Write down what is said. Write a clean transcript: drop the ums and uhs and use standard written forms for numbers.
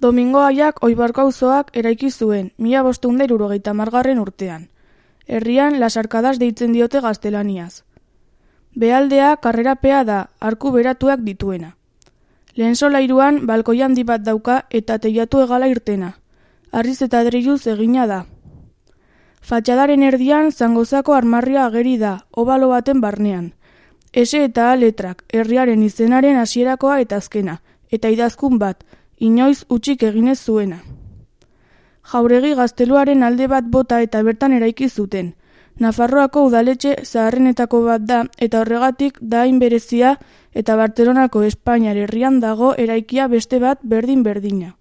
Domingo Aiak Oibarko auzoak eraiki zuen, 1570 urtean. Herrian Lasarkadas deitzen diote gaztelaniaz. Behaldea karrerapea da, arku beratuak dituena. Lehen solairuan balkoi handi bat dauka eta teilatu hegala irtena. Harriz eta adreiluz egina da. Fatxadaren erdian Zangozako armarria ageri da, obalo baten barnean. S eta A letrak, herriaren izenaren hasierakoa eta azkena, eta idazkun bat, inoiz utzik eginez zuena. Jauregi gazteluaren alde bat bota eta bertan eraiki zuten. Nafarroako udaletxe zaharrenetako bat da eta horregatik da hain berezia eta Bartzelonako Espainiar herrian dago eraikia beste bat berdin-berdina.